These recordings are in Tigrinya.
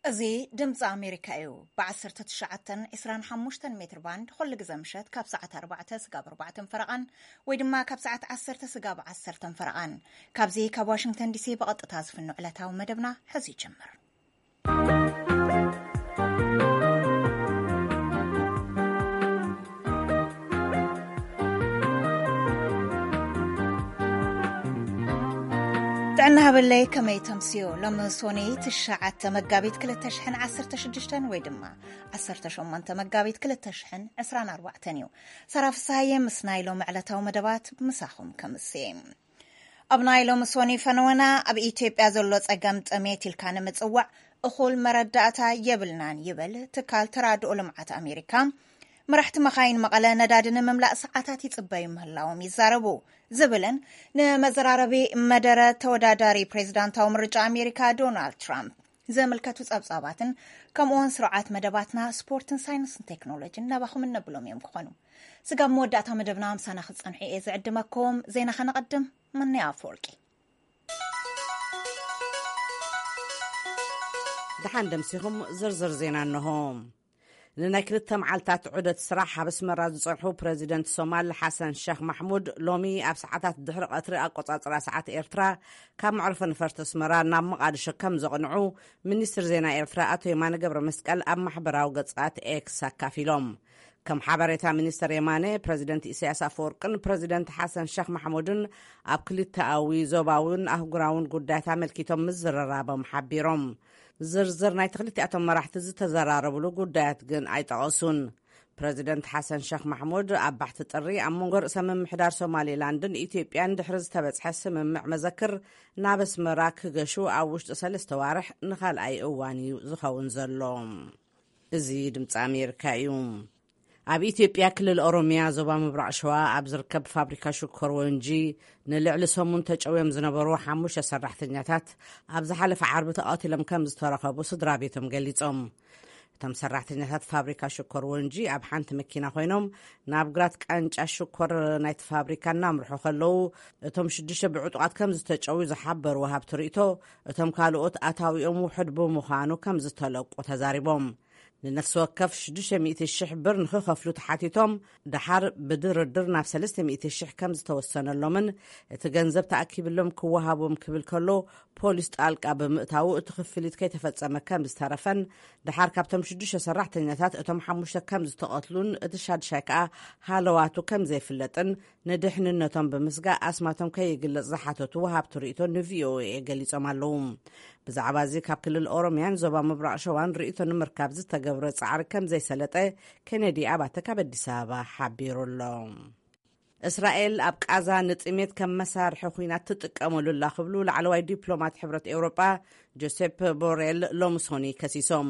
እዚ ድምፂ ኣሜሪካ እዩ። ብ19፣ 25 ሜትር ባንድ ኩሉ ግዜ ምሸት ካብ ሰዓት ኣርባዕተ ስጋብ ኣርባዕተን ፈረቓን፣ ወይ ድማ ካብ ሰዓት ዓሰርተ ስጋብ ዓሰርተን ፈረቓን። ካብዚ ካብ ዋሽንግተን ዲሲ ብቐጥታ ዝፍኖ ዕለታዊ መደብና ሕዚ ይጀምር። ጥዕና ሃበለይ፣ ከመይ ተምስዮ? ሎሚ ሶኒ ትሽዓተ መጋቢት ክልተ ሽሕን ዓሰርተ ሽዱሽተን ወይ ድማ ዓሰርተ ሸሞንተ መጋቢት ክልተ ሽሕን ዕስራን ኣርባዕተን እዩ። ሰራ ፍስሃየ ምስ ናይ ሎሚ ዕለታዊ መደባት ምሳኹም ከምስየ። ኣብ ናይ ሎሚ ሶኒ ፈነወና፣ ኣብ ኢትዮጵያ ዘሎ ጸገም ጥሜት ኢልካ ንምጽዋዕ እኹል መረዳእታ የብልናን ይብል ትካል ተራድኦ ልምዓት ኣሜሪካ። መራሕቲ መኻይን መቐለ ነዳዲ ንምምላእ ሰዓታት ይጽበዩ ምህላዎም ይዛረቡ ዝብልን ንመዘራረቢ መደረ ተወዳዳሪ ፕሬዝዳንታዊ ምርጫ ኣሜሪካ ዶናልድ ትራምፕ ዘመልከቱ ጸብጻባትን፣ ከምኡውን ስርዓት መደባትና ስፖርትን ሳይንስን ቴክኖሎጂን ናባኹም እነብሎም እዮም ክኾኑ። ስጋብ መወዳእታ መደብና ምሳና ክትጸንሑ እየ ዝዕድመኩም። ዜና ከነቐድም፣ መነይ ኣፈወርቂ። ደሓን ደምሲኹም፣ ዝርዝር ዜና እንሆ። ንናይ ክልተ መዓልታት ዑደት ስራሕ ኣብ ኣስመራ ዝጸንሑ ፕረዚደንት ሶማል ሓሰን ሸኽ ማሕሙድ፣ ሎሚ ኣብ ሰዓታት ድሕሪ ቀትሪ ኣቆጻጽራ ሰዓት ኤርትራ፣ ካብ መዕርፎ ነፈርቲ ኣስመራ ናብ መቓድሾ ከም ዘቕንዑ ሚኒስትር ዜና ኤርትራ ኣቶ የማነ ገብረ መስቀል ኣብ ማሕበራዊ ገጻት ኤክስ ኣካፊሎም። ከም ሓበሬታ ሚኒስተር የማነ፣ ፕረዚደንት ኢሳያስ ኣፈወርቅን ፕረዚደንት ሓሰን ሸኽ ማሕሙድን ኣብ ክልተኣዊ፣ ዞባውን ኣህጉራውን ጉዳያት ኣመልኪቶም ምዝርራቦም ሓቢሮም። ዝርዝር ናይቲ ክልቲኣቶም መራሕቲ ዝተዘራረብሉ ጉዳያት ግን ኣይጠቐሱን። ፕረዚደንት ሓሰን ሸኽ ማሕሙድ ኣብ ባሕቲ ጥሪ ኣብ መንጎ ርእሰ ምምሕዳር ሶማሌላንድን ኢትዮጵያን ድሕሪ ዝተበጽሐ ስምምዕ መዘክር ናብ ኣስመራ ክገሹ ኣብ ውሽጢ ሰለስተ ዋርሕ ንኻልኣይ እዋን እዩ ዝኸውን ዘሎ። እዚ ድምፂ ኣሜሪካ እዩ። ኣብ ኢትዮጵያ ክልል ኦሮሚያ ዞባ ምብራቕ ሸዋ ኣብ ዝርከብ ፋብሪካ ሽኮር ወንጂ ንልዕሊ ሰሙን ተጨውዮም ዝነበሩ ሓሙሽተ ሰራሕተኛታት ኣብ ዝሓለፈ ዓርቢ ተቐቲሎም ከም ዝተረኸቡ ስድራ ቤቶም ገሊጾም። እቶም ሰራሕተኛታት ፋብሪካ ሽኮር ወንጂ ኣብ ሓንቲ መኪና ኮይኖም ናብ ግራት ቃንጫ ሽኮር ናይቲ ፋብሪካ እናምርሑ ከለዉ፣ እቶም ሽዱሽተ ብዕጡቓት ከም ዝተጨውዩ ዝሓበሩ ወሃብቲ ርእይቶ፣ እቶም ካልኦት ኣታዊኦም ውሑድ ብምዃኑ ከም ዝተለቁ ተዛሪቦም። ንነፍሲ ወከፍ ሽዱሽተ ሚእቲ ሽሕ ብር ንኽኸፍሉ ተሓቲቶም፣ ደሓር ብድርድር ናብ ሰለስተ ሚእቲ ሽሕ ከም ዝተወሰነሎምን እቲ ገንዘብ ተኣኪብሎም ክወሃቦም ክብል ከሎ፣ ፖሊስ ጣልቃ ብምእታዉ እቲ ክፍሊት ከይተፈጸመ ከም ዝተረፈን፣ ደሓር ካብቶም ሽዱሽተ ሰራሕተኛታት እቶም ሓሙሽተ ከም ዝተቐትሉን እቲ ሻድሻይ ከኣ ሃለዋቱ ከም ዘይፍለጥን፣ ንድሕንነቶም ብምስጋእ ኣስማቶም ከይግለጽ ዝሓተቱ ወሃብቲ ርእይቶ ንቪኦኤ ገሊጾም ኣለዉ። ብዛዕባ እዚ ካብ ክልል ኦሮሚያን ዞባ ምብራቕ ሸዋን ርእይቶ ንምርካብ ዝተገብረ ጻዕሪ ከም ዘይሰለጠ ኬነዲ ኣባተ ካብ ኣዲስ ኣበባ ሓቢሩ ኣሎ። እስራኤል ኣብ ቃዛ ንጥሜት ከም መሳርሒ ኹናት ትጥቀመሉ ኣላ ክብሉ ላዕለዋይ ዲፕሎማት ሕብረት ኤውሮጳ ጆሴፕ ቦሬል ሎምሶኒ ከሲሶም።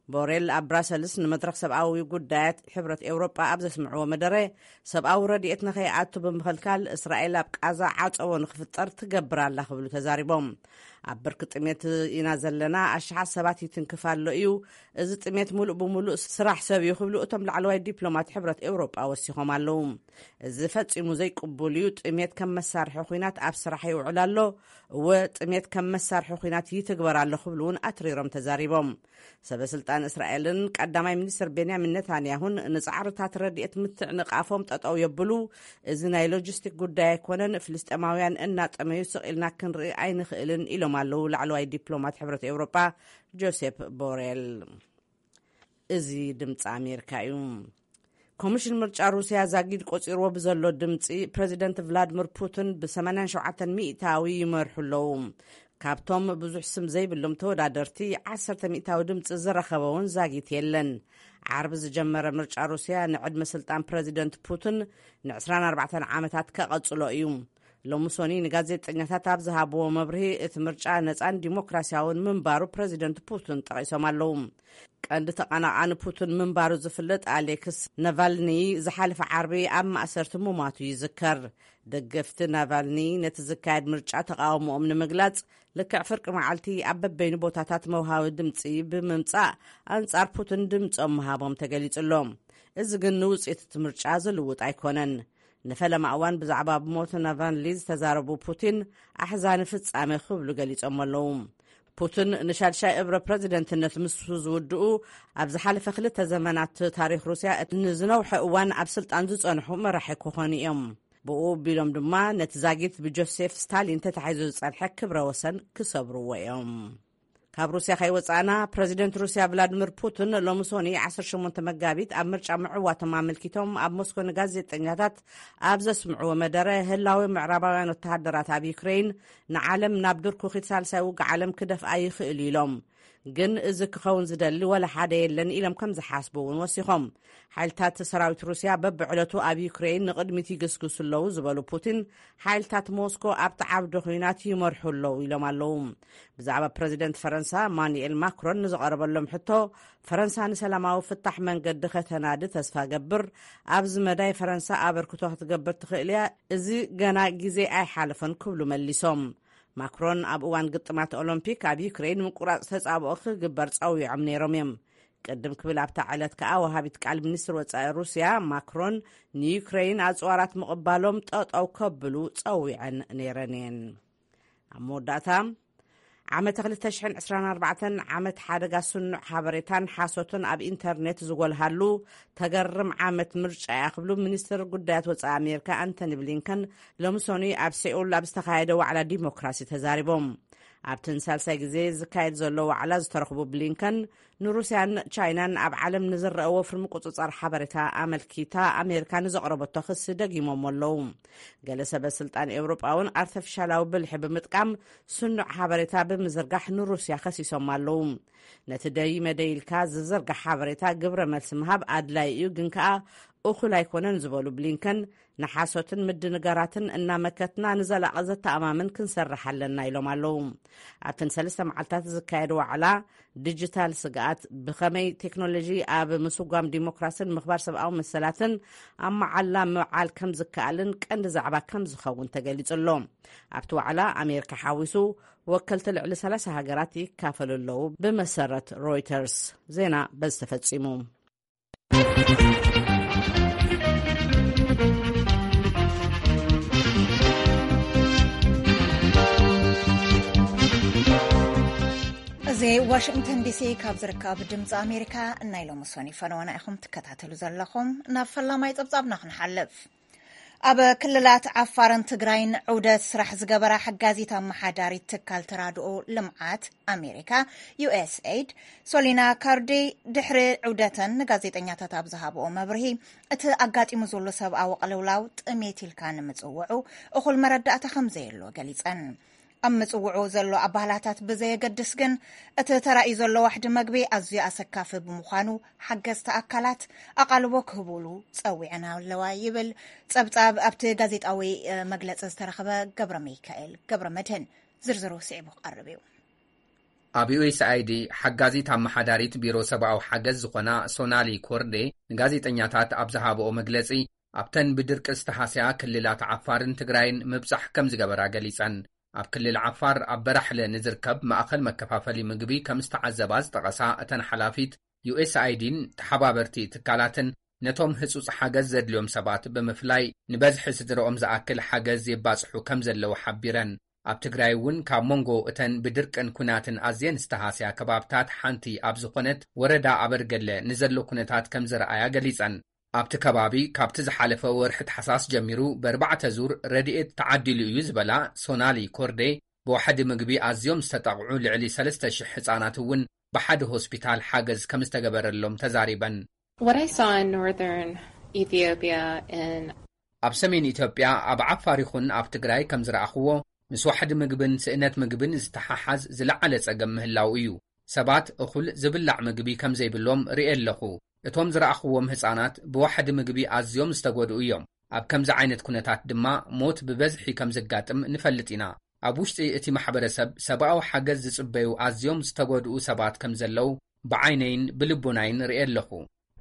ቦሬል ኣብ ብራሰልስ ንመድረኽ ሰብኣዊ ጉዳያት ሕብረት ኤውሮጳ ኣብ ዘስምዕዎ መደረ፣ ሰብኣዊ ረድኤት ንኸይኣቱ ብምኽልካል እስራኤል ኣብ ቃዛ ዓጸቦ ንኽፍጠር ትገብር ኣላ ክብሉ ተዛሪቦም። ኣብ ብርኪ ጥሜት ኢና ዘለና፣ ኣሽሓት ሰባት ይትንክፍ ኣሎ እዩ። እዚ ጥሜት ሙሉእ ብሙሉእ ስራሕ ሰብ እዩ ክብሉ እቶም ላዕለዋይ ዲፕሎማት ሕብረት ኤውሮጳ ወሲኾም ኣለዉ። እዚ ፈጺሙ ዘይቅቡል እዩ። ጥሜት ከም መሳርሒ ኹናት ኣብ ስራሕ ይውዕል ኣሎ። እወ፣ ጥሜት ከም መሳርሒ ኹናት ይትግበር ኣሎ ክብሉ እውን ኣትሪሮም ተዛሪቦም። ሰበ ስልጣን እስራኤልን ቀዳማይ ሚኒስትር ቤንያሚን ነታንያሁን ንጻዕርታት ረድኤት ምትዕንቓፎም ጠጠው የብሉ። እዚ ናይ ሎጂስቲክ ጉዳይ ኣይኮነን። ፍልስጤማውያን እናጠመዩ ስቕ ኢልና ክንርኢ ኣይንኽእልን ኢሎም ኣለዉ ላዕለዋይ ዲፕሎማት ሕብረት ኤውሮጳ ጆሴፕ ቦሬል። እዚ ድምፂ ኣሜሪካ እዩ። ኮሚሽን ምርጫ ሩስያ ዛጊድ ቆፂርዎ ብዘሎ ድምፂ ፕረዚደንት ቭላድሚር ፑቲን ብ ሰማንያን ሸውዓተን ሚእታዊ ይመርሑ ኣለዉ። ካብቶም ብዙሕ ስም ዘይብሎም ተወዳደርቲ ዓሰርተ ሚእታዊ ድምፂ ዝረኸበ እውን ዛጊት የለን። ዓርቢ ዝጀመረ ምርጫ ሩስያ ንዕድመ ስልጣን ፕረዚደንት ፑቲን ን ዕስራን ኣርባዕተን ዓመታት ከቐጽሎ እዩ። ሎሚ ሶኒ ንጋዜጠኛታት ኣብ ዝሃብዎ መብርሂ፣ እቲ ምርጫ ነጻን ዲሞክራሲያውን ምንባሩ ፕረዚደንት ፑቲን ጠቒሶም ኣለዉ። ቀንዲ ተቐናቓኒ ፑቲን ምንባሩ ዝፍለጥ ኣሌክስ ናቫልኒ ዝሓለፈ ዓርቢ ኣብ ማእሰርቲ ምሟቱ ይዝከር። ደገፍቲ ናቫልኒ ነቲ ዝካየድ ምርጫ ተቓውሞኦም ንምግላጽ፣ ልክዕ ፍርቂ መዓልቲ ኣብ በበይኑ ቦታታት መውሃቢ ድምጺ ብምምጻእ ኣንጻር ፑቲን ድምጾም ምሃቦም ተገሊጹ ኣሎ። እዚ ግን ንውጽኢት እቲ ምርጫ ዝልውጥ ኣይኮነን። ንፈለማ እዋን ብዛዕባ ሞት ናቫልኒ ዝተዛረቡ ፑቲን፣ ኣሕዛኒ ፍጻሜ ክብሉ ገሊጾም ኣለዉ። ፑቲን ንሻድሻይ እብረ ፕረዚደንትነት ምስ ዝውድኡ፣ ኣብ ዝሓለፈ ክልተ ዘመናት ታሪኽ ሩስያ እቲ ንዝነውሐ እዋን ኣብ ስልጣን ዝጸንሑ መራሒ ክኾኑ እዮም። ብኡ ኣቢሎም ድማ ነቲ ዛጊት ብጆሴፍ ስታሊን ተታሒዙ ዝጸንሐ ክብረ ወሰን ክሰብርዎ እዮም። ካብ ሩስያ ከይወጻእና፣ ፕረዚደንት ሩስያ ቭላድሚር ፑቲን ሎሚ ሶኒ ዓሰርተ ሸሞንተ መጋቢት ኣብ ምርጫ ምዕዋቶም ኣመልኪቶም ኣብ ሞስኮ ንጋዜጠኛታት ኣብ ዘስምዕዎ መደረ፣ ህላዊ ምዕራባውያን ወተሃደራት ኣብ ዩክሬን ንዓለም ናብ ድርኩኺት ሳልሳይ ውግእ ዓለም ክደፍኣ ይኽእል እዩ ኢሎም። ግን እዚ ክኸውን ዝደሊ ወላ ሓደ የለን ኢሎም ከም ዝሓስቡ እውን ወሲኾም። ሓይልታት ሰራዊት ሩስያ በብዕለቱ ኣብ ዩክሬን ንቕድሚት ይግስግሱ ኣለዉ ዝበሉ ፑቲን፣ ሓይልታት ሞስኮ ኣብቲ ዓውደ ኹናት ይመርሑ ኣለዉ ኢሎም ኣለዉ። ብዛዕባ ፕረዚደንት ፈረንሳ ማኑኤል ማክሮን ንዝቐረበሎም ሕቶ፣ ፈረንሳ ንሰላማዊ ፍታሕ መንገዲ ከተናዲ ተስፋ ገብር፣ ኣብዚ መዳይ ፈረንሳ ኣበርክቶ ክትገብር ትኽእል እያ፣ እዚ ገና ግዜ ኣይሓለፈን ክብሉ መሊሶም። ማክሮን ኣብ እዋን ግጥማት ኦሎምፒክ ኣብ ዩክሬን ምቁራጽ ተጻብኦ ክግበር ጸዊዖም ነይሮም እዮም። ቅድም ክብል ኣብታ ዕለት ከኣ ወሃቢት ቃል ሚኒስትር ወጻኢ ሩስያ ማክሮን ንዩክሬን ኣጽዋራት ምቕባሎም ጠጠው ከብሉ ጸዊዐን ነይረን እየን። ኣብ መወዳእታ፣ ዓመተ ክልተ ሽሕን ዕስራን ኣርባዕተን ዓመት ሓደጋ ስኑዕ ሓበሬታን ሓሶትን ኣብ ኢንተርኔት ዝጎልሃሉ ተገርም ዓመት ምርጫ እያ ክብሉ ሚኒስትር ጉዳያት ወጻኢ ኣሜሪካ ኣንቶኒ ብሊንከን ሎሚ ሶኒ ኣብ ሴኡል ኣብ ዝተኻየደ ዋዕላ ዲሞክራሲ ተዛሪቦም። ኣብቲ ንሳልሳይ ግዜ ዝካየድ ዘሎ ዋዕላ ዝተረኽቡ ብሊንከን፣ ንሩስያን ቻይናን ኣብ ዓለም ንዝረአ ወፍሪ ምቁጽጻር ሓበሬታ ኣመልኪታ ኣሜሪካ ንዘቕረበቶ ክሲ ደጊሞሞ ኣለዉ። ገለ ሰበ ስልጣን ኤውሮጳ እውን ኣርተፊሻላዊ ብልሒ ብምጥቃም ስኑዕ ሓበሬታ ብምዝርጋሕ ንሩስያ ከሲሶም ኣለዉ። ነቲ ደይ መደይ ኢልካ ዝዝርጋሕ ሓበሬታ ግብረ መልሲ ምሃብ ኣድላይ እዩ፣ ግን ከኣ እኹል ኣይኮነን ዝበሉ ብሊንከን፣ ንሓሶትን ምድንጋራትን እናመከትና ንዘላቒ ዘተኣማምን ክንሰርሕ ኣለና ኢሎም ኣለዉ። ኣብተን ሰለስተ መዓልታት ዝካየድ ዋዕላ፣ ዲጂታል ስግኣት፣ ብኸመይ ቴክኖሎጂ ኣብ ምስጓም ዲሞክራስን ምኽባር ሰብኣዊ መሰላትን ኣብ መዓላ ምውዓል ከም ዝከኣልን ቀንዲ ዛዕባ ከም ዝኸውን ተገሊጹ ኣሎ። ኣብቲ ዋዕላ ኣሜሪካ ሓዊሱ ወከልቲ ልዕሊ ሰላሳ ሃገራት ይካፈሉ ኣለዉ። ብመሰረት ሮይተርስ ዜና በዚ ተፈጺሙ። እዚ ዋሽንግተን ዲሲ ካብ ዝርከብ ድምፂ ኣሜሪካ ናይ ሎሚ ሶኒ ፈነወና ኢኹም ትከታተሉ ዘለኹም። ናብ ፈላማይ ፀብፃብና ክንሓልፍ። ኣብ ክልላት ዓፋርን ትግራይን ዑደት ስራሕ ዝገበራ ሓጋዚት ኣመሓዳሪት ትካል ተራድኦ ልምዓት ኣሜሪካ፣ ዩ ኤስ ኤይድ፣ ሶሊና ካርዲ፣ ድሕሪ ዑደተን ንጋዜጠኛታት ኣብ ዝሃብኦ መብርሂ፣ እቲ ኣጋጢሙ ዘሎ ሰብኣዊ ቅልውላው ጥሜት ኢልካ ንምጽውዑ እኹል መረዳእታ ከም ዘየሎ ገሊጸን። ኣብ ምጽውዑ ዘሎ ኣባላታት ብዘየገድስ ግን፣ እቲ ተራእዩ ዘሎ ዋሕዲ መግቢ ኣዝዩ ኣሰካፊ ብምዃኑ፣ ሓገዝቲ ኣካላት ኣቓልቦ ክህቡሉ ጸዊዐን ኣለዋ ይብል ጸብጻብ ኣብቲ ጋዜጣዊ፣ እ፣ መግለጺ ዝተረኽበ ገብረ ሚካኤል ገብረ መድህን። ዝርዝሩ ስዒቡ ክቐርብ እዩ። ኣብ ዩ ኤስ ኣይ ዲ ሓጋዚት ኣመሓዳሪት ቢሮ ሰብኣዊ ሓገዝ ዝኾና ሶናሊ ኮርዴ ንጋዜጠኛታት ኣብ ዝሃብኦ መግለጺ፣ ኣብተን ብድርቂ ዝተሃስያ ክልላት ዓፋርን ትግራይን ምብጻሕ ከም ዝገበራ ገሊጸን። ኣብ ክልል ዓፋር ኣብ በራሕለ ንዝርከብ ማእኸል መከፋፈሊ ምግቢ ከም ዝተዓዘባ ዝጠቐሳ እተን ሓላፊት፣ ዩ ኤስ ኣይ ዲን ተሓባበርቲ ትካላትን ነቶም ህጹጽ ሓገዝ ዘድልዮም ሰባት ብምፍላይ ንበዝሒ ስድረኦም ዝኣክል ሓገዝ የባጽሑ ከም ዘለዉ ሓቢረን። ኣብ ትግራይ እውን ካብ መንጎ እተን ብድርቅን ኩናትን ኣዝየን ዝተሃስያ ከባብታት ሓንቲ ኣብ ዝኾነት ወረዳ ኣበርገለ ንዘሎ ኩነታት ከም ዝረኣያ ገሊጸን። ኣብቲ ከባቢ ካብቲ ዝሓለፈ ወርሒ ታሕሳስ ጀሚሩ ብኣርባዕተ ዙር ረድኤት ተዓዲሉ እዩ ዝበላ ሶናሊ ኮርዴ፣ ብዋሕዲ ምግቢ ኣዝዮም ዝተጠቕዑ ልዕሊ ሰለስተ ሽሕ ህጻናት እውን ብሓደ ሆስፒታል ሓገዝ ከም ዝተገበረሎም ተዛሪበን። What I saw in northern Ethiopia and ኣብ ሰሜን ኢትዮጵያ ኣብ ዓፋር ይኹን ኣብ ትግራይ ከም ዝረኣኽዎ፣ ምስ ዋሕዲ ምግብን ስእነት ምግብን ዝተሓሓዝ ዝለዓለ ጸገም ምህላው እዩ። ሰባት እኹል ዝብላዕ ምግቢ ከም ዘይብሎም ርእየ ኣለኹ። እቶም ዝረኣኽዎም ህጻናት ብዋሕዲ ምግቢ ኣዝዮም ዝተጎድኡ እዮም። ኣብ ከምዚ ዓይነት ኩነታት ድማ ሞት ብበዝሒ ከም ዘጋጥም ንፈልጥ ኢና። ኣብ ውሽጢ እቲ ማሕበረሰብ ሰብኣዊ ሓገዝ ዝጽበዩ ኣዝዮም ዝተጎድኡ ሰባት ከም ዘለዉ ብዓይነይን ብልቦናይን ርእየ ኣለኹ።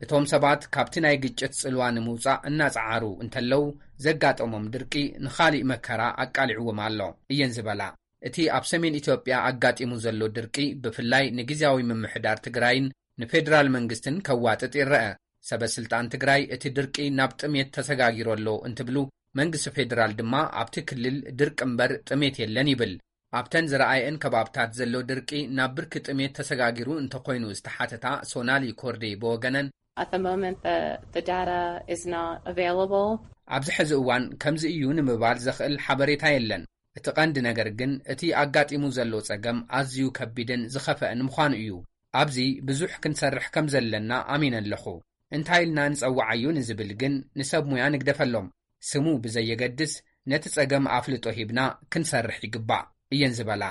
እቶም ሰባት ካብቲ ናይ ግጭት ጽልዋ ንምውጻእ እናጸዓሩ እንተለዉ፣ ዘጋጠሞም ድርቂ ንኻሊእ መከራ ኣቃሊዕዎም ኣሎ እየን ዝበላ። እቲ ኣብ ሰሜን ኢትዮጵያ ኣጋጢሙ ዘሎ ድርቂ ብፍላይ ንግዝያዊ ምምሕዳር ትግራይን ንፌደራል መንግስትን ከዋጥጥ ይረአ። ሰበ ስልጣን ትግራይ እቲ ድርቂ ናብ ጥሜት ተሰጋጊሩ ኣሎ እንትብሉ፣ መንግስቲ ፌደራል ድማ ኣብቲ ክልል ድርቂ እምበር ጥሜት የለን ይብል። ኣብተን ዝረኣየን ከባብታት ዘሎ ድርቂ ናብ ብርኪ ጥሜት ተሰጋጊሩ እንተኾይኑ ዝተሓተታ ሶናሊ ኮርዴ ብወገነን፣ At the moment, the, the data is not available. ኣብዚ ሕዚ እዋን ከምዚ እዩ ንምባል ዘኽእል ሓበሬታ የለን። እቲ ቀንዲ ነገር ግን እቲ ኣጋጢሙ ዘሎ ጸገም ኣዝዩ ከቢድን ዝኸፍአን ምዃኑ እዩ። ኣብዚ ብዙሕ ክንሰርሕ ከም ዘለና ኣሚነ ኣለኹ። እንታይ ኢልና ንጸውዓዩ ንዝብል ግን ንሰብ ሙያ ንግደፈሎም። ስሙ ብዘየገድስ ነቲ ጸገም ኣፍልጦ ሂብና ክንሰርሕ ይግባእ እየን ዝበላ።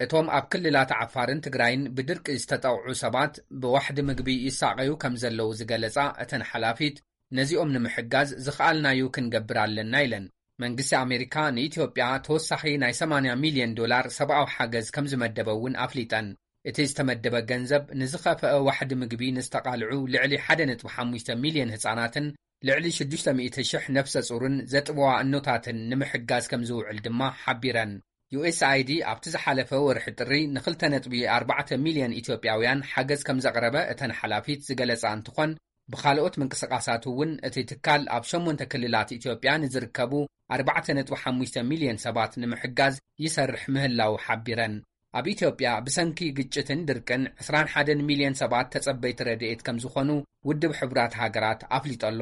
እቶም ኣብ ክልላት ዓፋርን ትግራይን ብድርቂ ዝተጠቕዑ ሰባት ብዋሕዲ ምግቢ ይሳቐዩ ከም ዘለዉ ዝገለጻ እተን ሓላፊት፣ ነዚኦም ንምሕጋዝ ዝኸኣልናዩ ክንገብር ኣለና ኢለን። መንግስቲ ኣሜሪካ ንኢትዮጵያ ተወሳኺ ናይ ሰማንያ ሚልዮን ዶላር ሰብኣዊ ሓገዝ ከም ዝመደበ እውን ኣፍሊጠን። እቲ ዝተመደበ ገንዘብ ንዝኸፈአ ዋሕዲ ምግቢ ንዝተቓልዑ ልዕሊ ሓደ ነጥቢ ሓሙሽተ ሚልዮን ህጻናትን ልዕሊ ሽዱሽተ ሚእቲ ሽሕ ነፍሰ ጹርን ዘጥበዋ እኖታትን ንምሕጋዝ ከም ዝውዕል ድማ ሓቢረን። ዩኤስኣይዲ ኣብቲ ዝሓለፈ ወርሒ ጥሪ ንኽልተ ነጥቢ ኣርባዕተ ሚልዮን ኢትዮጵያውያን ሓገዝ ከም ዘቕረበ እተን ሓላፊት ዝገለጻ እንትኾን፣ ብኻልኦት ምንቅስቓሳት እውን እቲ ትካል ኣብ ሸሞንተ ክልላት ኢትዮጵያ ንዝርከቡ ኣርባዕተ ነጥቢ ሓሙሽተ ሚልዮን ሰባት ንምሕጋዝ ይሰርሕ ምህላዉ ሓቢረን። ኣብ ኢትዮጵያ ብሰንኪ ግጭትን ድርቅን ዕስራን ሓደን ሚልዮን ሰባት ተጸበይቲ ረድኤት ከም ዝኾኑ ውድብ ሕቡራት ሃገራት ኣፍሊጡ ኣሎ።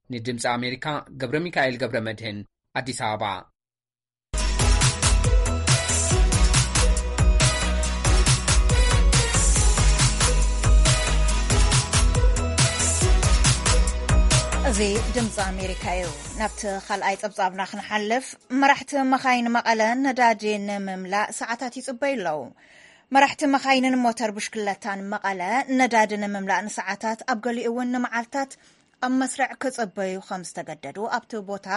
ንድምፂ ኣሜሪካ ገብረ ሚካኤል ገብረ መድህን ኣዲስ ኣበባ። እዚ ድምፂ ኣሜሪካ እዩ። ናብቲ ካልኣይ ጸብጻብና ክንሓልፍ፣ መራሕቲ መኻይን መቐለ ነዳዲ ንምምላእ ሰዓታት ይጽበዩ ኣለዉ። መራሕቲ መኻይንን ሞተር ብሽክለታን መቐለ ነዳዲ ንምምላእ ንሰዓታት፣ ኣብ ገሊኡ እውን ንመዓልታት ኣብ መስርዕ ክጽበዩ ከም ዝተገደዱ ኣብቲ ቦታ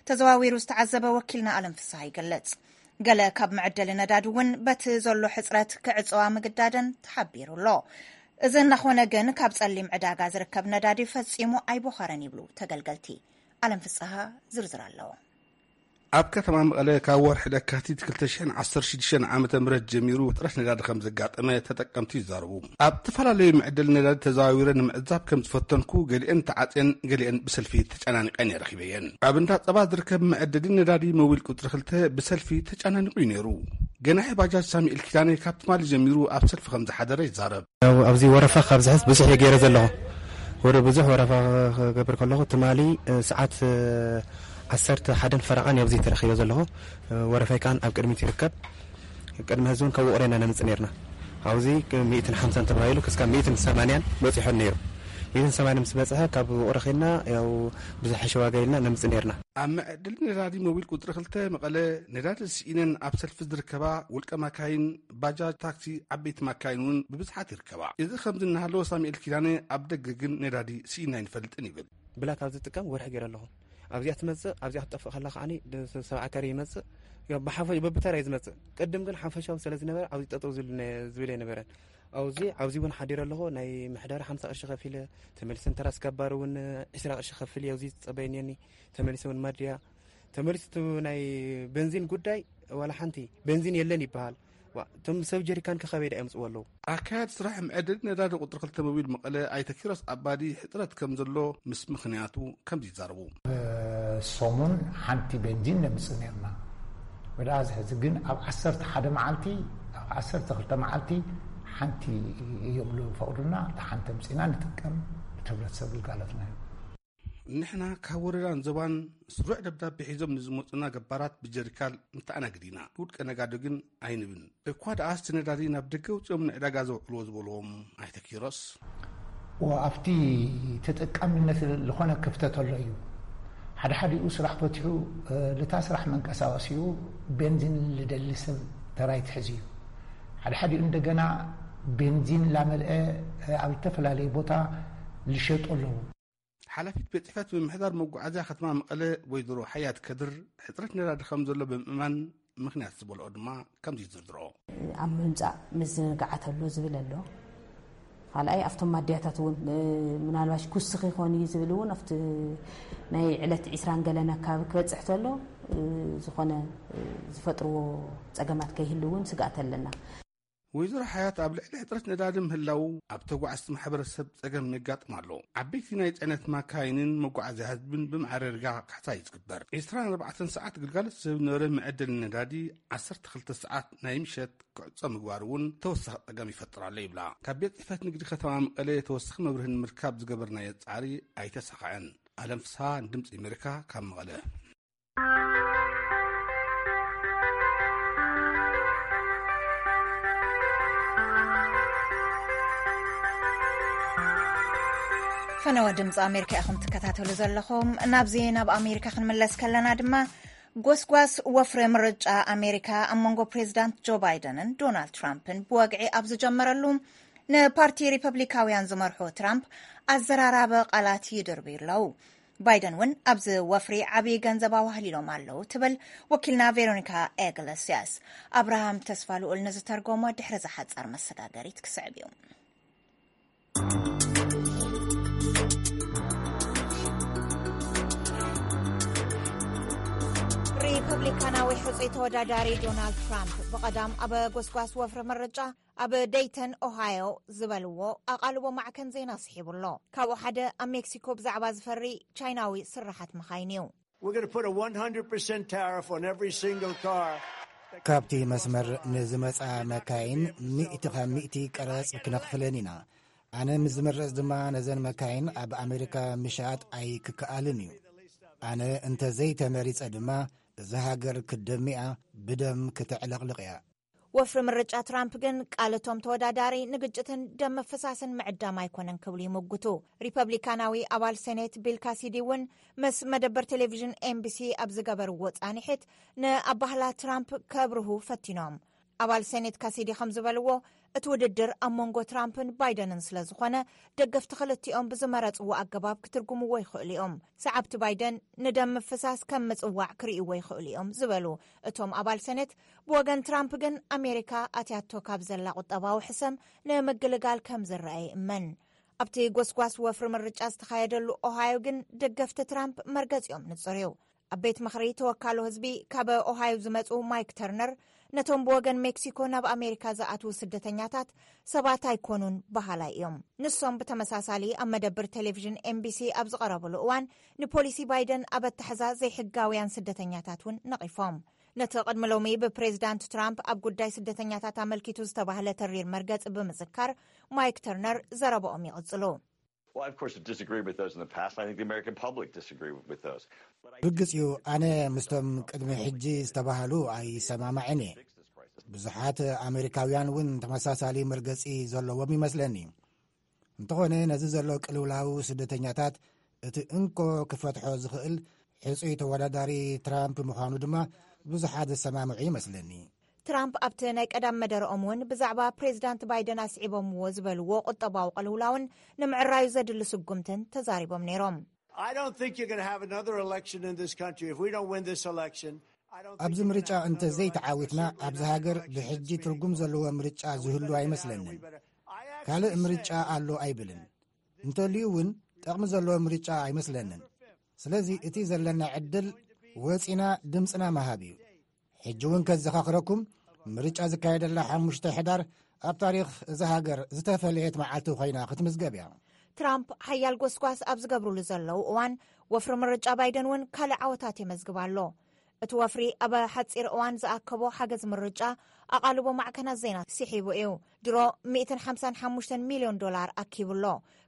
ተዘዋዊሩ ዝተዓዘበ ወኪልና ኣለም ፍስሃ ይገልጽ። ገለ ካብ መዐደሊ ነዳዲ እውን በቲ ዘሎ ሕጽረት ክዕጸዋ ምግዳደን ተሓቢሩ ኣሎ። እዚ እናኾነ ግን ካብ ጸሊም ዕዳጋ ዝርከብ ነዳዲ ፈጺሙ ኣይቦኸረን ይብሉ ተገልገልቲ። ኣለም ፍስሃ ዝርዝር ኣለዎ። ኣብ ከተማ መቐለ ካብ ወርሒ ለካቲት ክልተ ሽሕን ዓሰርተ ሽዱሽተን ዓመተ ምህረት ጀሚሩ ሕጽረት ነዳዲ ከም ዘጋጠመ ተጠቀምቲ ይዛረቡ። ኣብ ዝተፈላለዩ መዐደሊ ነዳዲ ተዘዋዊረ ንምዕዛብ ከም ዝፈተንኩ፣ ገሊአን ተዓጽየን፣ ገሊአን ብሰልፊ ተጨናኒቐን እየ ረኺበየን። ኣብ እንዳ ጸባ ዝርከብ መዐደሊ ነዳዲ ሞቢል ቁጽሪ ክልተ ብሰልፊ ተጨናኒቑ እዩ ነይሩ። ገናሒ ባጃጅ ሳሙኤል ኪዳነ ካብ ትማሊ ጀሚሩ ኣብ ሰልፊ ከም ዝሓደረ ይዛረብ። ያው ኣብዚ ወረፋ ካብ ዝሕዝ ብዙሕ እየ ገይረ ዘለኹ። ወረ ብዙሕ ወረፋ ክገብር ከለኹ ትማሊ፣ እ፣ ሰዓት፣ እ፣ ዓሰርተ ሓደን ፈረቓን ኣብዚ ተረኺበ ዘለኹ። እ፣ ወረፋይ ከኣን ኣብ ቅድሚት ይርከብ። ቅድሚ ሕዚ እውን ካብ ውቕሮ ኢና ነምጽእ ነርና። ኣብዚ ሚእትን ሓምሳን ተባሂሉ ክስካብ ሚእትን ሰማንያን በጺሑ ነይሩ። ሚእትን ሰማንያን ምስ በጽሐ ካብ ውቕሮ ኸድና ያው ብዝሐሸ ዋጋ ኢልና ነምጽእ ነርና። ኣብ መዐደሊ ነዳዲ ሞቢል ቁጽሪ ክልተ መቐለ ነዳዲ ስኢነን ኣብ ሰልፊ ዝርከባ ውልቀ ማካይን፣ ባጃጅ፣ ታክሲ፣ ዓበይቲ ማካይን እውን ብብዝሓት ይርከባ። እዚ ከምዚ እናሃለወ ሳሙኤል ኪዳነ ኣብ ደገ ግን ነዳዲ ስኢና ኣይንፈልጥን ይብል። ብላክ ኣብ ዝጥቀም ወርሒ ገይረ ኣለኹ። ኣብዚኣ ትመጽእ፣ ኣብዚኣ ክትጠፍእ ከላ ከዓኒ ድ-፣ ሰብዓ ካሬ ይመጽእ። ያው ብሓፈ-፣ በብተራ እዩ ዝመጽእ። ቅድም ግን ሓፈሻዊ ስለ ዝነበረ ኣብዚ ጠጠው ዝብል ነ-፣ ዝብል ኣይነበረን። ኣብዚ፣ ኣብዚ እውን ሓዲረ ኣለኹ። ናይ ምሕደራ ሓምሳ ቅርሺ ከፊለ፣ ተመሊሰ ንተራ ስጋባር እውን ዕስራ ቅርሺ ከፍል እየ። ኣብዚ ዝጸበየኒ እኒ፣ ተመሊሰ እውን ማድያ፣ ተመሊሱ እቲ ናይ ቤንዚን ጉዳይ ዋላ ሓንቲ ቤንዚን የለን ይበሃል። ዋ፣ እቶም ሰብ ጀሪካን ከ ካበይ ደኣ የምጽዎ ኣለዉ? ኣካያዲ ስራሕ መዐደሊ ነዳዲ ቁጽሪ ክልተ ሞቢል መቐለ ኣይተ ኪሮስ ኣባዲ ሕጽረት ከም ዘሎ ምስ ምኽንያቱ ከምዚ ይዛረቡ። ሰሙን ሓንቲ ቤንዚን ነምጽእ ነርና። ወደ ኣብዚ ሕዚ ግን ኣብ ዓሰርተ ሓደ መዓልቲ፣ ኣብ ዓሰርተ ክልተ መዓልቲ ሓንቲ እዮም ዝፈቕዱልና። እታ ሓንቲ ኣምጺእና ንጥቀም፣ እቲ ሕብረተሰብ ግልጋሎትና እዩ። ንሕና ካብ ወረዳን ዞባን ስሩዕ ደብዳቤ ሒዞም ንዝመጹና ገባራት ብጀሪካን ንተኣናግድ ኢና። ውልቀ ነጋዶ ግን ኣይንብን። እኳ ደኣ እቲ ነዳዲ ናብ ደገ ኣውጺኦም ንዕዳጋ ዘውዕልዎ ዝበልዎም ኣይተ ኪሮስ። ወ-፣ ኣብቲ ተጠቃሚነት ዝኾነ ክፍተት ኣሎ እዩ። ሓደ ሓዲኡ ስራሕ ፈትሑ፣ እ፣ ልታ ስራሕ መንቀሳቐሲኡ ቤንዚን ልደሊ ሰብ ተራ ይትሕዝ እዩ። ሓደ ሓዲኡ እንደገና ቤንዚን ላመልአ፣ እ፣ ኣብ ዝተፈላለየ ቦታ ልሸጡ ኣለዉ። ሓላፊት ቤት ጽሕፈት ምምሕዳር መጓዓዝያ ከተማ መቐለ ወይዘሮ ሓያት ከድር፣ ሕጽረት ነዳዲ ከም ዘሎ ብምእማን ምኽንያት ዝበልኦ ድማ ከምዚ ይዝርዝሮ። ኣብ ምምጻእ ምዝንጋዓት ኣሎ ዝብል ኣሎ። ካልኣይ ኣብቶም ማድያታት እውን፣ እ፣ ምናልባሽ ክውስኽ ይኾን እዩ ዝብል እውን ኣብቲ ናይ ዕለት ዒስራን ገለን ኣካባቢ ክበጽሕ ተሎ፣ እ፣ ዝኾነ፣ እ፣ ዝፈጥርዎ ጸገማት ከይህሉ እውን ስግኣት ኣለና። ወይዘሮ ሓያት፣ ኣብ ልዕሊ ሕፅረት ነዳዲ ምህላው ኣብ ተጓዓዝቲ ማሕበረሰብ ፀገም የጋጥም ኣሎ። ዓበይቲ ናይ ፅዕነት ማካይንን መጓዓዝያ ህዝብን ብማዕረ ዳርጋ ካሕሳ እዩ ዝግበር። ዕስራን ኣርባዕተን ሰዓት ግልጋሎት ዝህብ ዝነበረ መዐደሊ ነዳዲ ዓሰርተ ክልተ ሰዓት ናይ ምሸት ክዕፆ ምግባር እውን ተወሳኺ ፀገም ይፈጥር ኣሎ ይብላ። ካብ ቤት ፅሕፈት ንግዲ ከተማ መቐለ ተወሳኺ መብርሂ ንምርካብ ዝገበርናዮ ፃዕሪ ኣይተሳኸዐን። ኣለም ፍስሃ ንድምፂ ኣሜሪካ ካብ መቐለ። ፈነወ ድምፂ ኣሜሪካ ኢኹም ትከታተሉ ዘለኹም። ናብዚ ናብ ኣሜሪካ ክንምለስ ከለና ድማ፣ ጎስጓስ ወፍሪ ምርጫ ኣሜሪካ ኣብ መንጎ ፕሬዚዳንት ጆ ባይደንን ዶናልድ ትራምፕን ብወግዒ ኣብ ዝጀመረሉ፣ ንፓርቲ ሪፐብሊካውያን ዝመርሑ ትራምፕ ኣዘራራቢ ቃላት ይድርብዩ ኣለዉ። ባይደን እውን ኣብዚ ወፍሪ ዓብዪ ገንዘብ ኣዋህሊሎም ኣለዉ ትብል ወኪልና ቬሮኒካ ኤግለስያስ። ኣብርሃም ተስፋ ልኡል ንዝተርጎሞ ድሕሪ ዝሓጸር መሰጋገሪት ክስዕብ እዩ። ሪፐብሊካናዊ ሕጹይ ተወዳዳሪ ዶናልድ ትራምፕ ብቐዳም ኣብ ጎስጓስ ወፍሪ ምርጫ ኣብ ደይተን ኦሃዮ ዝበልዎ ኣቓልቦ ማዕከን ዜና ስሒቡ ኣሎ። ካብኡ ሓደ ኣብ ሜክሲኮ ብዛዕባ ዝፈሪ ቻይናዊ ስራሓት መኻይን እዩ። We're going to put a one hundred percent tariff on every single car. ካብቲ መስመር ንዝመጻ መካይን ሚእቲ ካብ ሚእቲ ቀረጽ ክነኽፍለን ኢና። ኣነ ምስ ዝምረጽ ድማ ነዘን መካይን ኣብ ኣሜሪካ ምሻጥ ኣይክከኣልን እዩ። ኣነ እንተ ዘይተመሪጸ ድማ እዛ ሃገር ክትደሚያ ብደም ክትዕለቕልቕ እያ። ወፍሪ ምርጫ ትራምፕ ግን ቃል እቶም ተወዳዳሪ ንግጭትን ደም ምፍሳስን ምዕዳም ኣይኮነን ክብሉ ይምጉቱ። ሪፐብሊካናዊ ኣባል ሴኔት ቢል ካሲዲ እውን ምስ መደበር ቴሌቪዥን ኤምቢሲ ኣብ ዝገበርዎ ጻንሒት ንኣባህላ ትራምፕ ከብርሁ ፈቲኖም። ኣባል ሴኔት ካሲዲ ከም ዝበልዎ፣ እቲ ውድድር ኣብ መንጎ ትራምፕን ባይደንን ስለ ዝኾነ፣ ደገፍቲ ክልቲኦም ብዝመረጽዎ ኣገባብ ክትርጉምዎ ይኽእሉ እዮም። ሰዓብቲ ባይደን ንደም ምፍሳስ ከም ምጽዋዕ ክርእይዎ ይኽእሉ እዮም ዝበሉ እቶም ኣባል ሰኔት፣ ብወገን ትራምፕ ግን ኣሜሪካ ኣትያቶ ካብ ዘላ ቁጠባዊ ሕሰም ንምግልጋል ከም ዝረኣ ይእመን። ኣብቲ ጎስጓስ ወፍሪ ምርጫ ዝተኻየደሉ ኦሃዮ ግን ደገፍቲ ትራምፕ መርገጺኦም ንጹር እዩ። ኣብ ቤት ምኽሪ ተወካሎ ህዝቢ ካብ ኦሃዮ ዝመጹ ማይክ ተርነር፣ ነቶም ብወገን ሜክሲኮ ናብ ኣሜሪካ ዝኣትዉ ስደተኛታት ሰባት ኣይኮኑን በሃላይ እዮም። ንሶም ብተመሳሳሊ ኣብ መደብር ቴሌቪዥን ኤምቢሲ ኣብ ዝቐረብሉ እዋን፣ ንፖሊሲ ባይደን ኣብ ኣተሓዛ ዘይሕጋውያን ስደተኛታት እውን ነቒፎም። ነቲ ቅድሚ ሎሚ ብፕሬዚዳንት ትራምፕ ኣብ ጉዳይ ስደተኛታት ኣመልኪቱ ዝተባህለ ተሪር መርገጺ ብምዝካር፣ ማይክ ተርነር ዘረባኦም ይቕጽሉ። Well, I, of course, have disagreed with those in the past, and I think the American public disagreed with those. But I ብግጽዩ ኣነ ምስቶም ቅድሚ ሕጂ ዝተባህሉ ኣይሰማማዕን እየ። ብዙሓት ኣሜሪካውያን እውን ተመሳሳሊ መርገጺ ዘለዎም ይመስለኒ። እንተኾነ ነዚ ዘሎ ቅልውላው ስደተኛታት እቲ እንኮ ክፈትሖ ዝኽእል ሕጹይ ተወዳዳሪ ትራምፕ ምዃኑ ድማ ብዙሓት ዝሰማምዑ ይመስለኒ። ትራምፕ ኣብቲ ናይ ቀዳም መደረኦም እውን ብዛዕባ ፕሬዚዳንት ባይደን ኣስዒቦምዎ ዝበልዎ ቁጠባዊ ቅልውላውን ንምዕራዩ ዘድሊ ስጉምትን ተዛሪቦም ነይሮም። I don't think you're going to have another election in this country if we don't win this election. I don't think ኣብዚ you're ምርጫ gonna have እንተ another ዘይተዓዊትና election ኣብዚ ሃገር ብሕጂ ትርጉም ዘለዎ ምርጫ ዝህሉ ኣይመስለንን። ካልእ ምርጫ ኣሎ ኣይብልን። እንተልዩ እውን ጠቕሚ ዘለዎ ምርጫ ኣይመስለንን። ስለዚ እቲ ዘለና ዕድል ወጺና ድምፅና ምሃብ እዩ። ሕጂ እውን ከዘኻኽረኩም፣ ምርጫ ዝካየደላ ሓሙሽተ ሕዳር ኣብ ታሪኽ እዛ ሃገር ዝተፈለየት መዓልቲ ኮይና ክትምዝገብ እያ። ትራምፕ ሓያል ጎስጓስ ኣብ ዝገብርሉ ዘለዉ እዋን፣ ወፍሪ ምርጫ ባይደን እውን ካልእ ዓወታት የመዝግብ ኣሎ። እቲ ወፍሪ ኣብ ሓጺር እዋን ዝኣከቦ ሓገዝ ምርጫ ኣቓልቦ ማዕከናት ዜና ስሒቡ እዩ። ድሮ ሚእትን ሓምሳን ሓሙሽተን ሚልዮን ዶላር ኣኪቡ ኣሎ።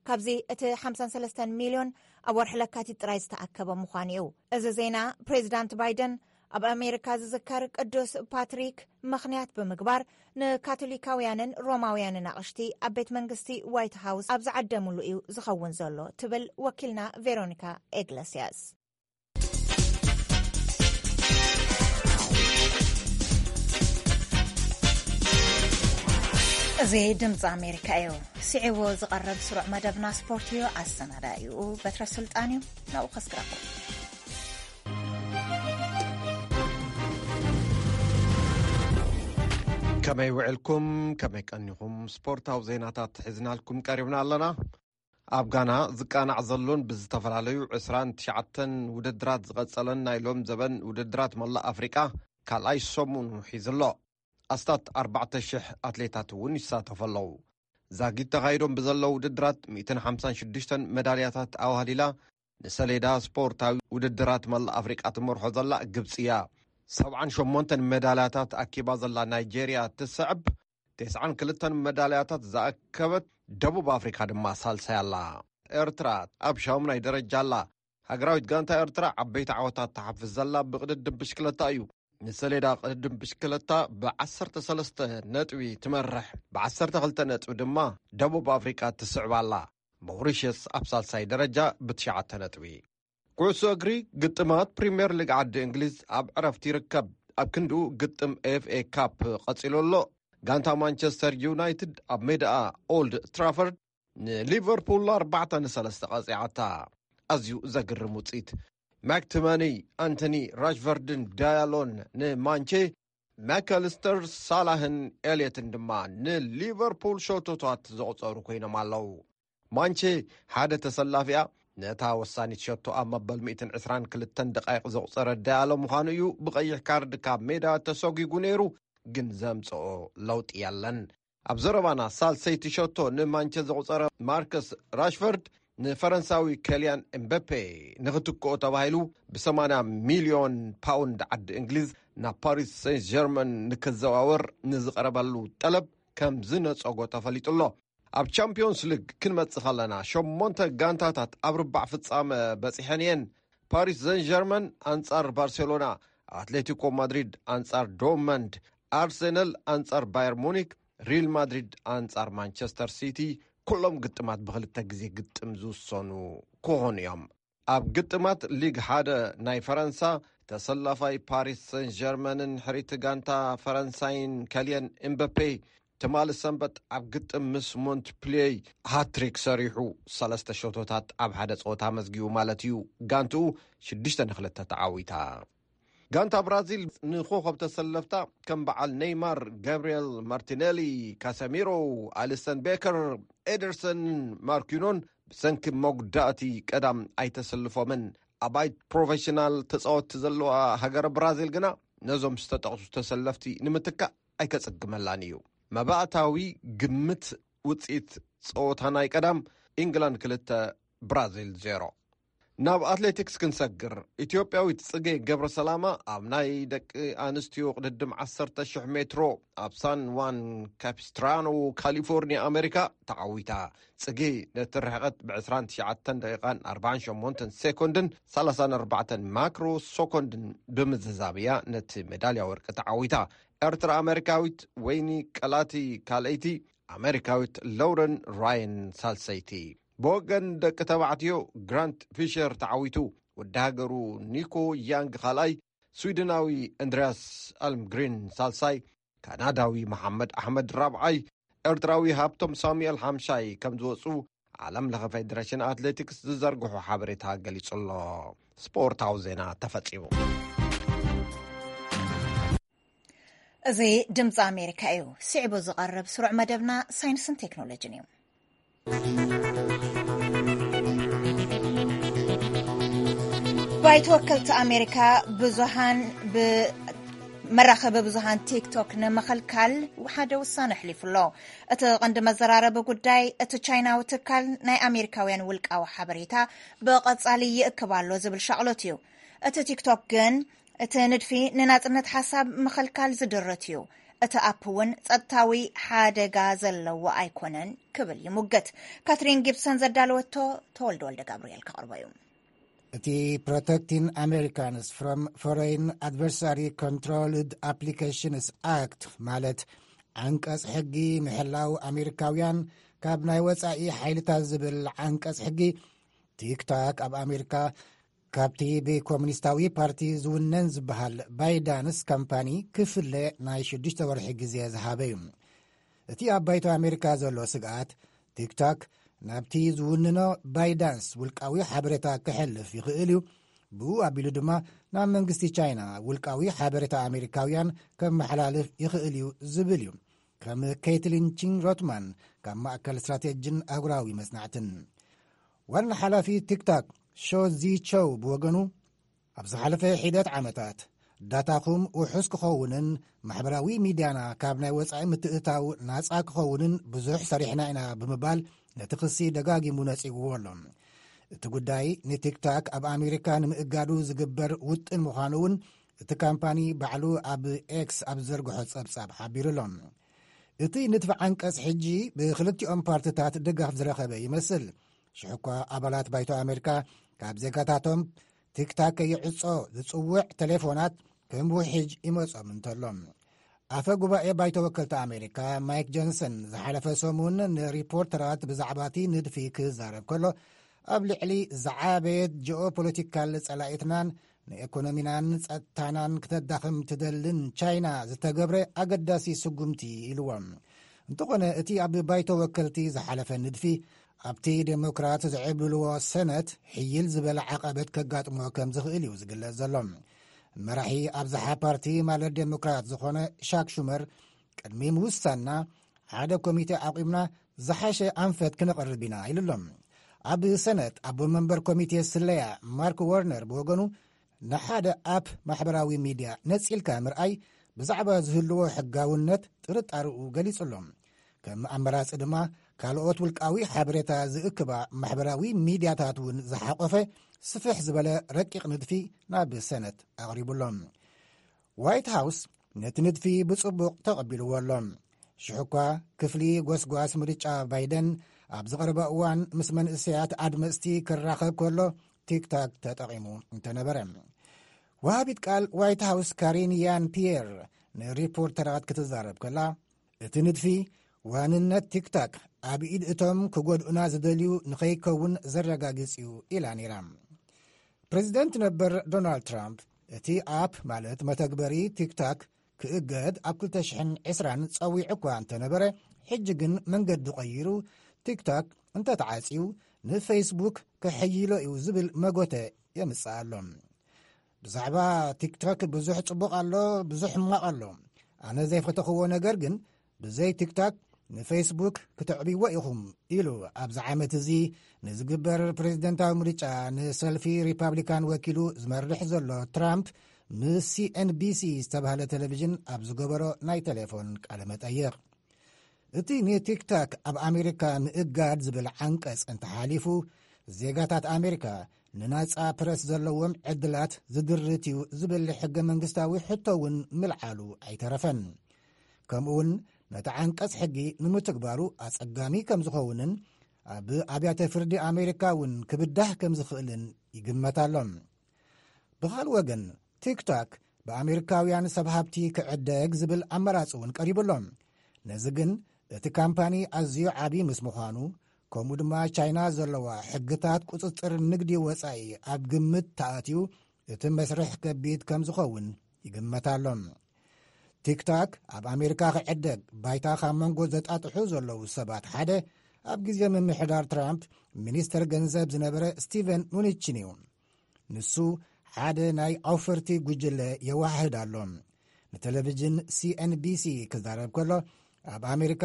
ካብዚ እቲ ሓምሳን ሰለስተን ሚልዮን ኣብ ወርሒ ለካቲት ጥራይ ዝተኣከበ ምዃኑ እዩ። እዚ ዜና፣ ፕሬዚዳንት ባይደን ኣብ ኣሜሪካ ዝዝከር ቅዱስ ፓትሪክ ምኽንያት ብምግባር፣ ንካቶሊካውያንን ሮማውያንን ኣቕሽቲ ኣብ ቤት መንግስቲ ዋይት ሃውስ ኣብ ዝዓደምሉ እዩ ዝኸውን ዘሎ ትብል ወኪልና ቬሮኒካ ኤግለስያስ። እዚ ድምፂ ኣሜሪካ እዩ። ስዒቡ ዝቐርብ ስሩዕ መደብና ስፖርት እዩ። ኣሰናዳኢኡ በትረ ስልጣን እዩ። ናብኡ ከስግረኩም። ከመይ ውዕልኩም? ከመይ ቀኒኹም? ስፖርታዊ ዜናታት ሒዝናልኩም ቀሪብና ኣለና። ኣብ ጋና ዝቃናዕ ዘሎን ብዝተፈላለዩ ዕስራን ትሽዓተን ውድድራት ዝቐጸለን ናይ ሎም ዘበን ውድድራት መላእ ኣፍሪቃ ካልኣይ ሰሙኑ ሒዙ ኣሎ። ኣስታት ኣርባዕተ ሽሕ ኣትሌታት እውን ይሳተፉ ኣለዉ። ዛጊት ተኻይዶም ብዘለዉ ውድድራት ሚእትን ሓምሳን ሽዱሽተን መዳልያታት ኣዋህሊላ፣ ንሰሌዳ ስፖርታዊ ውድድራት መላእ ኣፍሪቃ ትመርሖ ዘላ ግብጺ እያ። ሰብዓን ሸሞንተን መዳልያታት ኣኪባ ዘላ ናይጄርያ ትስዕብ። ተስዓን ክልተን መዳልያታት ዝኣከበት ደቡብ ኣፍሪካ ድማ ሳልሳይ ኣላ። ኤርትራ ኣብ ሻሙናይ ደረጃ ኣላ። ሃገራዊት ጋንታ ኤርትራ ዓበይቲ ዓወታት ትሓፍስ ዘላ ብቕድድም ብሽክለታ እዩ። ንሰሌዳ ቅድድም ብሽክለታ ብዓሰርተ ሰለስተ ነጥቢ ትመርሕ፣ ብዓሰርተ ክልተ ነጥቢ ድማ ደቡብ ኣፍሪቃ ትስዕብ ኣላ። ሞሪሸስ ኣብ ሳልሳይ ደረጃ ብትሽዓተ ነጥቢ። ኩዕሶ እግሪ፣ ግጥማት ፕሪምየር ሊግ ዓዲ እንግሊዝ ኣብ ዕረፍቲ ይርከብ። ኣብ ክንድኡ ግጥም ኤፍ ኤ ካፕ ቀጺሉ ኣሎ። ጋንታ ማንቸስተር ዩናይትድ ኣብ ሜዳኣ ኦልድ ትራፈርድ ንሊቨርፑል ኣርባዕተ ንሰለስተ ቀጺዓታ። ኣዝዩ ዘግርም ውጽኢት። ማክቲመኒ፣ ኣንቶኒ፣ ራሽቨርድን ዳያሎን ንማንቼ፣ ማካሊስተር፣ ሳላህን ኤልየትን ድማ ንሊቨርፑል ሸቶታት ዘቑጸሩ ኮይኖም ኣለዉ። ማንቼ ሓደ ተሰላፊኣ ነታ ወሳኒት ሸቶ ኣብ መበል ሚእትን ዕስራን ክልተን ደቃይቕ ዘቑጸረ ዳያሎ ምዃኑ እዩ ብቐይሕ ካርድ ካብ ሜዳ ተሰጒጉ ነይሩ፣ ግን ዘምጽኦ ለውጢ የለን። ኣብ ዘረባና ሳልሰይቲ ሸቶ ንማንቸ ዘቑጸረ ማርከስ ራሽፈርድ ንፈረንሳዊ ከልያን ኤምበፔ ንኽትክኦ ተባሂሉ ብ ሰማንያ ሚልዮን ፓውንድ ዓዲ እንግሊዝ ናብ ፓሪስ ሴንት ጀርመን ንክዘዋወር ንዝቐረበሉ ጠለብ ከም ዝነጸጎ ተፈሊጡ ኣሎ። ኣብ ቻምፒዮንስ ሊግ ክንመጽእ ከለና ሸሞንተ ጋንታታት ኣብ ርባዕ ፍጻመ በጺሐን እየን። ፓሪስ ሰን ጀርመን ኣንጻር ባርሴሎና፣ ኣትሌቲኮ ማድሪድ ኣንጻር ዶርትመንድ፣ ኣርሰናል ኣንጻር ባየር ሙኒክ፣ ሪል ማድሪድ ኣንጻር ማንቸስተር ሲቲ፣ ኩሎም ግጥማት ብኽልተ ግዜ ግጥም ዝውሰኑ ክኾኑ እዮም። ኣብ ግጥማት ሊግ ሓደ ናይ ፈረንሳ፣ ተሰላፋይ ፓሪስ ሰን ጀርመንን ሕሪቲ ጋንታ ፈረንሳይን ከልየን ኤምበፔ ትማሊ ሰንበት ኣብ ግጥም ምስ ሞንትፕልየይ ሃትሪክ ሰሪሑ፣ ሰለስተ ሸቶታት ኣብ ሓደ ጸወታ መዝጊቡ ማለት እዩ። ጋንትኡ ሽዱሽተ ንኽልተ ተዓዊታ። ጋንታ ብራዚል ንኮኸብ ተሰለፍታ ከም በዓል ኔይማር፣ ጋብርኤል ማርቲኔሊ፣ ካሰሚሮ፣ ኣሊሰን ቤከር፣ ኤደርሰን ማርኪኖን ብሰንኪ መጉዳእቲ ቀዳም ኣይተሰልፎምን። ኣባይት ፕሮፌሽናል ተጻወትቲ ዘለዋ ሃገር ብራዚል ግና ነዞም ዝተጠቕሱ ተሰለፍቲ ንምትካእ ኣይከጽግመላን እዩ። መባእታዊ ግምት ውጽኢት ጸወታ ናይ ቀዳም፣ ኢንግላንድ ክልተ፣ ብራዚል ዜሮ። ናብ ኣትሌቲክስ ክንሰግር፣ ኢትዮጵያዊት ጽጌ ገብረ ሰላማ ኣብ ናይ ደቂ ኣንስትዮ ቅድድም ዓሰርተ ሽሕ ሜትሮ ኣብ ሳን ዋን ካፒስትራኖ፣ ካሊፎርኒያ፣ ኣሜሪካ ተዓዊታ። ጽጌ ነቲ ርሕቐት ብ ዕስራን ትሽዓተን ደቂቓን ኣርባዓን ሸሞንተን ሴኮንድን ሰላሳን ኣርባዕተን ማክሮ ሶኮንድን ብምዝዛብ እያ ነቲ ሜዳልያ ወርቂ ተዓዊታ። ኤርትራ ኣሜሪካዊት ወይኒ ቀላቲ ካልኣይቲ፣ ኣሜሪካዊት ሎረን ራየን ሳልሰይቲ። ብወገን ደቂ ተባዕትዮ ግራንት ፊሸር ተዓዊቱ። ወዲ ሃገሩ ኒኮ ያንግ ካልኣይ፣ ስዊድናዊ ኣንድሪያስ ኣልምግሪን ሳልሳይ፣ ካናዳዊ መሓመድ ኣሕመድ ራብዓይ፣ ኤርትራዊ ሃብቶም ሳሙኤል ሓምሻይ ከም ዝወጹ ዓለም ለኸ ፌደሬሽን ኣትሌቲክስ ዝዘርግሖ ሓበሬታ ገሊጹ ኣሎ። ስፖርታዊ ዜና ተፈጺሙ። እዚ ድምፂ ኣሜሪካ እዩ። ስዕቡ ዝቐርብ ስሩዕ መደብና ሳይንስን ቴክኖሎጂን እዩ። ባይቶ ወከልቲ ኣሜሪካ ብዙሃን ብ-፣ መራኸቢ ብዙሃን ቲክቶክ ንምኽልካል ሓደ ውሳነ ኣሕሊፉ ኣሎ። እቲ ቀንዲ መዘራረቢ ጉዳይ፣ እቲ ቻይናዊ ትካል ናይ ኣሜሪካውያን ውልቃዊ ሓበሬታ ብቐጻሊ ይእክብ ኣሎ ዝብል ሻቕሎት እዩ። እቲ ቲክቶክ ግን፣ እቲ ንድፊ ንናጽነት ሓሳብ ምኽልካል ዝድርት እዩ። እቲ ኣፕ እውን ጸጥታዊ ሓደጋ ዘለዎ ኣይኮነን ክብል ይሙግት። ካትሪን ጊብሰን ዘዳለወቶ፣ ተወልደ ወልደ ጋብርኤል ከቕርቦ እዩ። እቲ Protecting Americans from Foreign Adversary Controlled Applications Act፣ ማለት ዓንቀጽ ሕጊ ምሕላው ኣሜሪካውያን ካብ ናይ ወጻኢ ሓይልታት ዝብል ዓንቀጽ ሕጊ፣ ቲክቶክ ኣብ ኣሜሪካ ካብቲ ብኮሙኒስታዊ ፓርቲ ዝውነን ዝበሃል ባይዳንስ ካምፓኒ ክፍለ ናይ ሽዱሽተ ወርሒ ግዜ ዝሃበ እዩ። እቲ ኣብ ባይቶ ኣሜሪካ ዘሎ ስግኣት፣ ቲክቶክ ናብቲ ዝውንኖ ባይዳንስ ውልቃዊ ሓበሬታ ከሕልፍ ይኽእል እዩ፣ ብኡ ኣቢሉ ድማ ናብ መንግስቲ ቻይና ውልቃዊ ሓበሬታ ኣሜሪካውያን ከመሓላልፍ ይኽእል እዩ ዝብል እዩ። ከም ኬትሊን ቺን ሮትማን ካብ ማእከል ስትራቴጂን ኣህጉራዊ መጽናዕትን ዋና ሓላፊ ቲክቶክ ሾ ዚ ቾው ብወገኑ፣ ኣብ ዝሓለፈ ሒደት ዓመታት ዳታኹም ውሑስ ክኸውንን ማሕበራዊ ሚድያና ካብ ናይ ወጻኢ ምትእታው ናጻ ክኸውንን ብዙሕ ሰሪሕና ኢና ብምባል ነቲ ክሲ ደጋጊሙ ነጺግዎ ኣሎ። እቲ ጉዳይ ንቲክታክ ኣብ ኣሜሪካ ንምእጋዱ ዝግበር ውጥን ምዃኑ እውን እቲ ካምፓኒ ባዕሉ ኣብ ኤክስ ኣብ ዘርግሖ ጸብጻብ ሓቢሩ ኣሎ። እቲ ንድፊ ዓንቀጽ ሕጂ ብክልቲኦም ፓርትታት ድጋፍ ዝረኸበ ይመስል። ሽሕኳ ኣባላት ባይቶ ኣሜሪካ ካብ ዜጋታቶም ቲክታክ ከይዕጾ ዝጽውዕ ቴሌፎናት ከም ውሕጅ ይመጾም እንተሎ፣ ኣፈ ጉባኤ ባይቶ ወከልቲ ኣሜሪካ ማይክ ጆንሰን ዝሓለፈ ሰሙን ንሪፖርተራት ብዛዕባ እቲ ንድፊ ክዛረብ ከሎ፣ ኣብ ልዕሊ ዝዓበየት ጂኦፖለቲካል ጸላኢትናን ንኤኮኖሚናን ጸጥታናን ክተዳኽም ትደልን ቻይና ዝተገብረ ኣገዳሲ ስጉምቲ ኢልዎም። እንተኾነ እቲ ኣብ ባይቶ ወከልቲ ዝሓለፈ ንድፊ ኣብቲ ዴሞክራት ዝዕብልልዎ ሰነት ሕይል ዝበለ ዓቐበት ከጋጥሞ ከም ዝኽእል እዩ ዝግለጽ ዘሎ። መራሒ ኣብዝሓ ፓርቲ ማለት ዴሞክራት ዝኾነ ሻክ ሹመር ቅድሚ ምውሳንና ሓደ ኮሚቴ ኣቑምና ዝሓሸ ኣንፈት ክነቕርብ ኢና ኢሉ ኣሎ። ኣብ ሰነት ኣቦ መንበር ኮሚቴ ስለያ ማርክ ወርነር ብወገኑ ንሓደ ኣፕ ማሕበራዊ ሚድያ ነጺልካ ምርኣይ ብዛዕባ ዝህልዎ ሕጋውነት ጥርጣርኡ ገሊጹ ኣሎ። ከም ኣመራጺ ድማ ካልኦት ውልቃዊ ሓበሬታ ዝእክባ ማሕበራዊ ሚድያታት እውን ዝሓቆፈ ስፍሕ ዝበለ ረቂቕ ንድፊ ናብ ሰነት ኣቕሪቡ ኣሎ። ዋይት ሃውስ ነቲ ንድፊ ብጽቡቕ ተቐቢልዎ ኣሎ። ሽሕኳ ክፍሊ ጎስጓስ ምርጫ ባይደን ኣብ ዝቐረበ እዋን ምስ መንእሰያት ኣድመጽቲ ክራኸብ ከሎ ቲክታክ ተጠቒሙ እንተነበረ። ወሃቢት ቃል ዋይት ሃውስ ካሪን ያን ፒየር ንሪፖርተራት ክትዛረብ ከላ፣ እቲ ንድፊ ዋንነት ቲክታክ ኣብ ኢድ እቶም ክጎድኡና ዝደልዩ ንኸይከውን ዘረጋግጽ እዩ ኢላ ነይራ። ፕሬዚደንት ነበር ዶናልድ ትራምፕ እቲ ኣፕ ማለት መተግበሪ ቲክታክ ክእገድ ኣብ ክልተ ሽሕን ዕስራን ጸዊዑ እኳ እንተነበረ፣ ሕጂ ግን መንገዲ ቀይሩ ቲክታክ እንተተዓጽዩ ንፌስቡክ ክሕይሎ እዩ ዝብል መጎተ የምጽእ ኣሎ። ብዛዕባ ቲክቶክ ብዙሕ ጽቡቕ ኣሎ፣ ብዙሕ ሕማቕ ኣሎ። ኣነ ዘይፈተኽዎ ነገር ግን ብዘይ ቲክቶክ ንፌስቡክ ክተዕብይዎ ኢኹም ኢሉ ኣብዚ ዓመት እዚ ንዝግበር ፕሬዚደንታዊ ምርጫ ንሰልፊ ሪፓብሊካን ወኪሉ ዝመርሕ ዘሎ ትራምፕ ምስ ሲኤንቢሲ ዝተባህለ ቴሌቪዥን ኣብ ዝገበሮ ናይ ቴሌፎን ቃለ መጠይቕ። እቲ ንቲክታክ ኣብ ኣሜሪካ ምእጋድ ዝብል ዓንቀጽ እንተሓሊፉ፣ ዜጋታት ኣሜሪካ ንናጻ ፕረስ ዘለዎም ዕድላት ዝድርት እዩ ዝብል ሕገ መንግስታዊ ሕቶ እውን ምልዓሉ ኣይተረፈን። ከምኡውን ነቲ ዓንቀጽ ሕጊ ንምትግባሩ ኣጸጋሚ ከም ዝኸውንን ኣብ ኣብያተ ፍርዲ ኣሜሪካ እውን ክብዳህ ከም ዝኽእልን ይግመት ኣሎ። ብኻልእ ወገን፣ ቲክቶክ ብኣሜሪካውያን ሰብ ሃብቲ ክዕደግ ዝብል ኣመራጺ እውን ቀሪቡ ኣሎ። ነዚ ግን እቲ ካምፓኒ ኣዝዩ ዓቢ ምስ ምዃኑ፣ ከምኡ ድማ ቻይና ዘለዋ ሕግታት ቁጽጽር ንግዲ ወጻኢ ኣብ ግምት ተኣትዩ፣ እቲ መስርሕ ከቢድ ከም ዝኸውን ይግመት ኣሎ። ቲክቶክ ኣብ ኣሜሪካ ክዕደግ ባይታ ካብ መንጎ ዘጣጥሑ ዘለዉ ሰባት ሓደ ኣብ ግዜ ምምሕዳር ትራምፕ ሚኒስተር ገንዘብ ዝነበረ ስቲቨን ሙኒችን እዩ። ንሱ ሓደ ናይ ኣውፈርቲ ጉጅለ የወሃህድ ኣሎ። ንቴሌቪዥን ሲኤንቢሲ ክዛረብ ከሎ፣ ኣብ ኣሜሪካ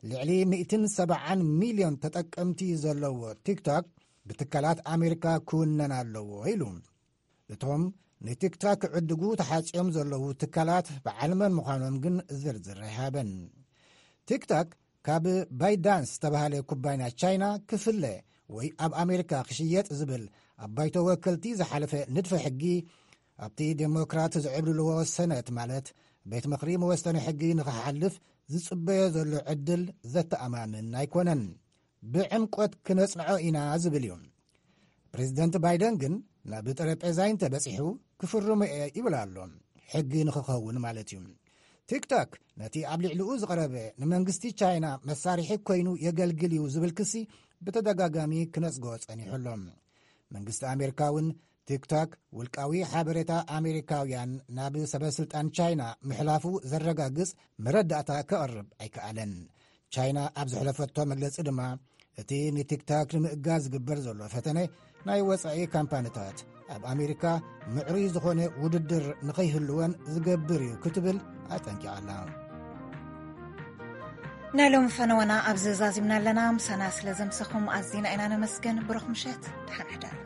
ልዕሊ ሚእትን ሰብዓን ሚልዮን ተጠቀምቲ ዘለዎ ቲክቶክ ብትካላት ኣሜሪካ ክውነን ኣለዎ ኢሉ። እቶም ንቲክቶክ ክዕድጉ ተሓጽዮም ዘለዉ ትካላት በዓል መን ምዃኖም ግን ዝርዝር ኣይሃበን። ቲክቶክ ካብ ባይዳንስ ዝተባህለ ኩባንያ ቻይና ክፍለ ወይ ኣብ ኣሜሪካ ክሽየጥ ዝብል ኣብ ባይቶ ወከልቲ ዝሓለፈ ንድፈ ሕጊ፣ ኣብቲ ዴሞክራት ዝዕብልልዎ ሰነት ማለት ቤት ምኽሪ መወሰኒ ሕጊ ንኽሓልፍ ዝጽበዮ ዘሎ ዕድል ዘተኣማምን ኣይኮነን። ብዕምቆት ክነጽንዖ ኢና ዝብል እዩ። ፕሬዚደንት ባይደን ግን ናብ ጠረጴዛይ እንተበጺሑ ክፍርሞ እየ ይብል ኣሎ። ሕጊ ንኽኸውን ማለት እዩ። ቲክቶክ ነቲ ኣብ ልዕሊኡ ዝቐረበ ንመንግስቲ ቻይና መሳርሒ ኮይኑ የገልግል እዩ ዝብል ክሲ ብተደጋጋሚ ክነጽጎ ጸኒሑ ኣሎ። መንግስቲ ኣሜሪካ እውን ቲክቶክ ውልቃዊ ሓበሬታ ኣሜሪካውያን ናብ ሰበ ስልጣን ቻይና ምሕላፉ ዘረጋግጽ መረዳእታ ከቕርብ ኣይከኣለን። ቻይና ኣብ ዘሕለፈቶ መግለጺ ድማ፣ እቲ ንቲክቶክ ንምእጋድ ዝግበር ዘሎ ፈተነ ናይ ወጻኢ ካምፓኒታት ኣብ ኣሜሪካ ምዕሩይ ዝኾነ ውድድር ንኸይህልወን ዝገብር እዩ ክትብል ኣጠንቂቓ ኣላ። ናይ ሎሚ ፈነወና ኣብዚ ዛዚምና ኣለና። ምሳና ስለ ዘምሰኹም ኣዚና ኢና ነመስግን። ብሩኽ ምሸት፣ ደሓን ሕደር።